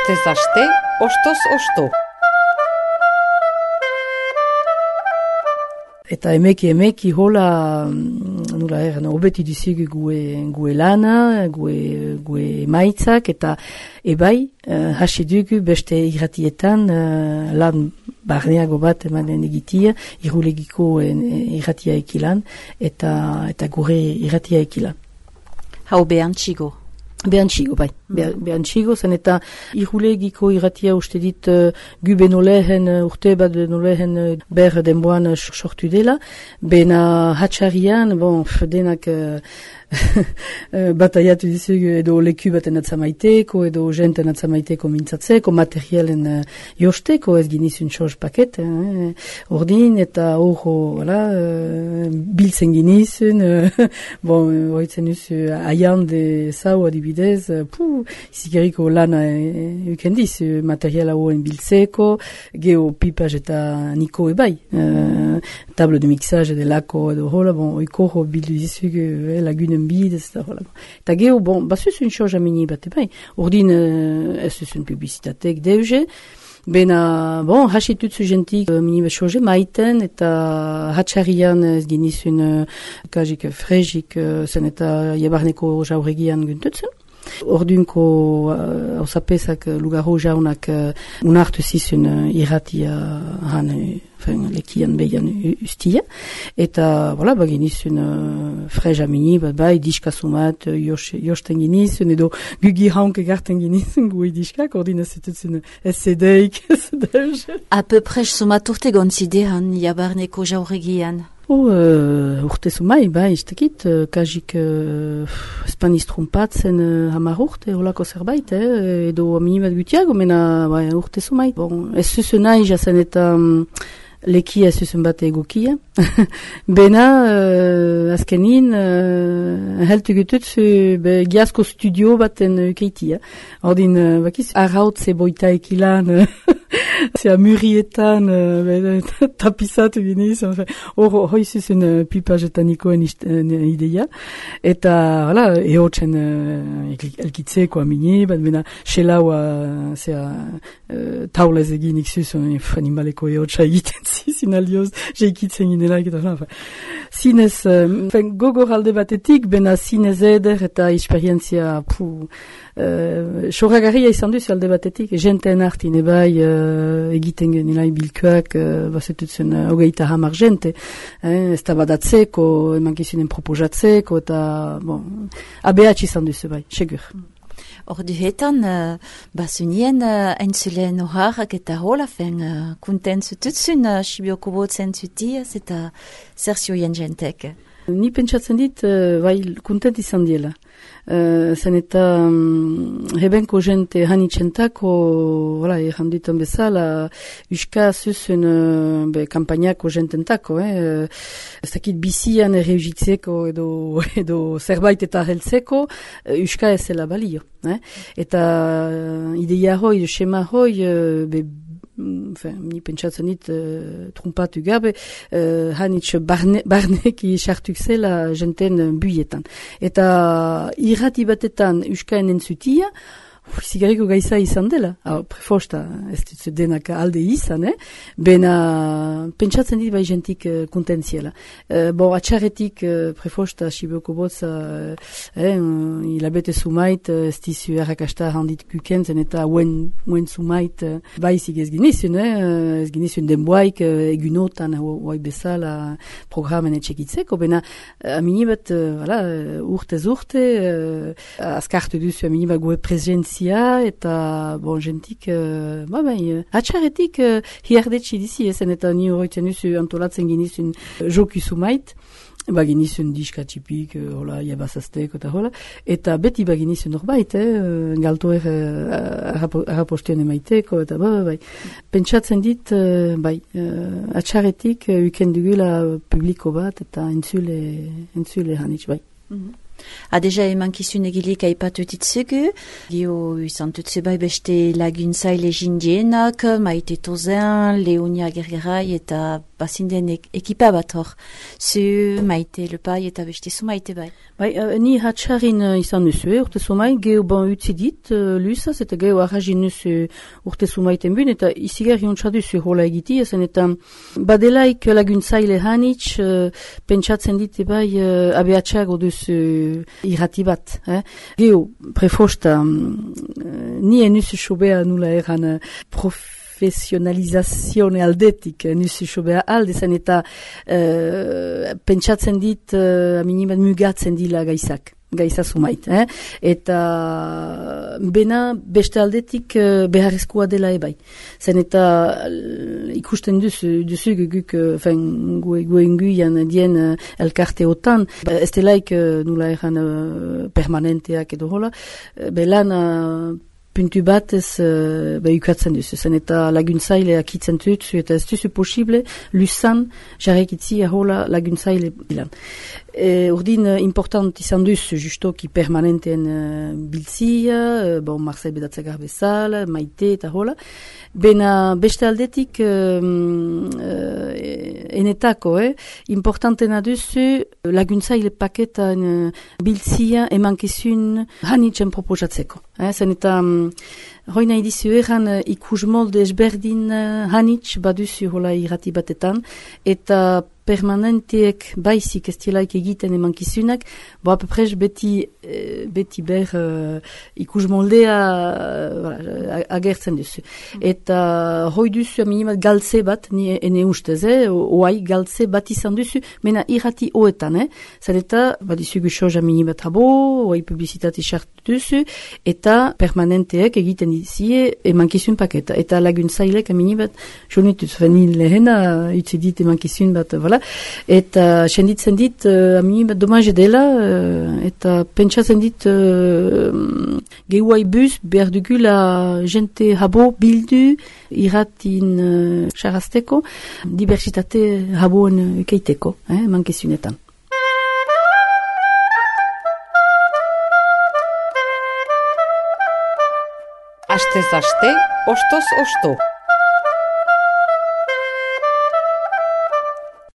Astez aste, ostoz osto. Eta emeki hola, nula obeti dizigu gue lana, gue emaitzak, eta ebai, hasi dugu beste irratietan lan barneago bat emanen egitia, irulegiko irratia ekilan, eta gure irratia ekilan. Hau behantxigo? Behantxigo, bai. Behantxigo, zen eta irulegiko irratia uste dit gu benolehen, urte bat benolehen ber denboan sortu dela. Bena hatxarian, denak bataiatu dizugu edo leku baten atzamaiteko, edo jenten atzamaiteko mintzatzeko, materialen josteko, ez ginizun soz paket, ordin, eta horro, biltzen ginizun, hoitzen duzu, aian de zau adibidez, izikeriko lana ukendiz, materiala hoen biltzeko, geho pipaz eta niko ebai, table de mixage de lako edo hola, oiko ho bildu dizugu lagunen bidez, eta hola. Eta geho, bazuz un soz amini bat ebai, ordin ez duzun publizitatek deuze, bena, hasitutzu jentik minibe soze maiten, eta hatxarian ez ginizun kajik frejik, zen eta jabarneko jauregian guntutzen. Ordunko hausapezak lugarro jaunak unartu zizun irratia han lekian behian ustia, eta baginizun freja mini, bai diskasumat josten ginizun, edo gugi haunke garten ginizun gue diskak, ordin ez zitutzen SCD-ik, A peu près sumaturte gonzidean jabarneko jauregian? Urte zumai, bai, istekit, kajik espaniz trumpatzen hamar urte, holako zerbait, edo aminibat gutiago, mena urte zumai. Ez zuzen nahi jazen eta lekia ez zuzen bat egokia. Bena, azkenin, heltu gututzu giazko studio baten keitia. Ordin, bakiz, arrautze boita ekilan, zea murietan, tapizatu giniz, hoi zuzen pipaz eta nikoen ideia. Eta, ehotzen elkitzeko amini, bat bena, xelaua, taulez eginik zuzen, animaleko ehotza egiten zizin aldioz, jeikitzen ginela, zinez, gogor alde batetik, bena zinez eder eta esperientzia soragarria izan duzu alde batetik, jenten hartin ebai egiten genilai bilkoak, bazetutzen hogeita hamar jente, ez da badatzeko, emankizunen proposatzeko, eta abeatx izan duzu bai, segur. Orduetan, bazunien entzulen horrak eta hola kunten zututzun sibioko botzen zutiaz eta zerzioien jentek. Ni pentsatzen dit, kuntent izan diela. Zen eta hebenko jente hanitxentako, erranditan bezala, uska zuzun kampainako jententako, ez dakit bizian erreugitzeko edo zerbait eta heltzeko, uska ezela balio. Eta ideia hoi, schema hoi, ni pentsatzen dit trumpatu gabe, hanitx barneki sartuk zela jenten buietan. Eta irrati batetan uskaen entzutia, zigarriko gaiza izan dela. Prefosta, ez dut denak alde izan, bena pentsatzen dit bai jentik kontentziela. Atxarretik prefosta sibioko botza hilabete sumait, ez dizu errakasta handit kukentzen eta uen sumait baizik ez ginizun, ez ginizun denboaik egunotan hoi bezala programen etxekitzeko, bena aminibat urtez urte azkartu duzu aminibat goe presentzia eta jentik atxarretik hiardetsi dizi ezen eta ni horretzen duzu antolatzen ginizun joku sumait, baginizun diska txipik, jabazazteko eta hola, eta beti baginizun horbait, galtoer arrapostioan emaiteko, eta pentsatzen dit, atxarretik ukendugula publiko bat, eta entzule hanitz, bai. Deja emankizun egilik aipatu ditzugu, gio izan dutze bai beste laguntzaile jindienak, Maite Tozen, Leonia Gergerai eta bazinden ekipa bat hor. Zu Maite Lepai eta beste zu Maite bai. Bai, ni hatxarin izan duzu, urte zumai, geho ban utzi dit, lusaz, eta geho arrajin duzu urte zumaiten bun, eta izigar jontsa duzu hola egiti, ezen eta badelaik laguntzaile hanitz, pentsatzen dit bai abeatxago duzu irrati bat. Geho, prefosta, ni enuzu sobea nula eran profesionalizazione aldetik nusu sobea alde zen eta pentsatzen dit aminibat mugatzen dila gaiza sumait. Eta bena beste aldetik beharrezkoa dela ebai. Zen eta ikusten duzu guk goenguian dien elkarteotan, ez delaik nula eran permanenteak edo hola, belan puntu bat ez ukatzen duzu, zen eta laguntzaile akitzen dutzu, eta ez duzu posible, lusan jarrekitzi ahola laguntzaile bilan. Urdin important izan duzu, justoki permanenteen biltzia, Marcel Bedatzagar bezala, Maite eta hola, bena beste aldetik enetako, importantena duzu laguntzaile paketan biltzia emankizun hanitzen proposatzeko. Zen eta hoi nahi dizu eran ikusmolde ezberdin hanitz baduzu hola irrati batetan, eta permanenteek baizik ez dielaik egiten emankizunak, apeprez beti ber ikusmoldea agertzen duzu. Eta hoi duzu aminimat galtze bat, ene ustez, oai galtze bat izan duzu, mena irrati hoetan, zer eta badizugu soz aminimat habo, oai publizitate sartu duzu, eta permanenteek egiten dizie emankizun paketa. Eta laguntzailek aminimat, jonituz, fenil lehena, utzidit emankizun bat, eta senditzen dit aminibat domaje dela, eta pentsatzen dit gehuai buz behar dugula jente habo bildu irratin xarazteko, diversitate haboen keiteko, mankizunetan. Astez aste, ostoz osto.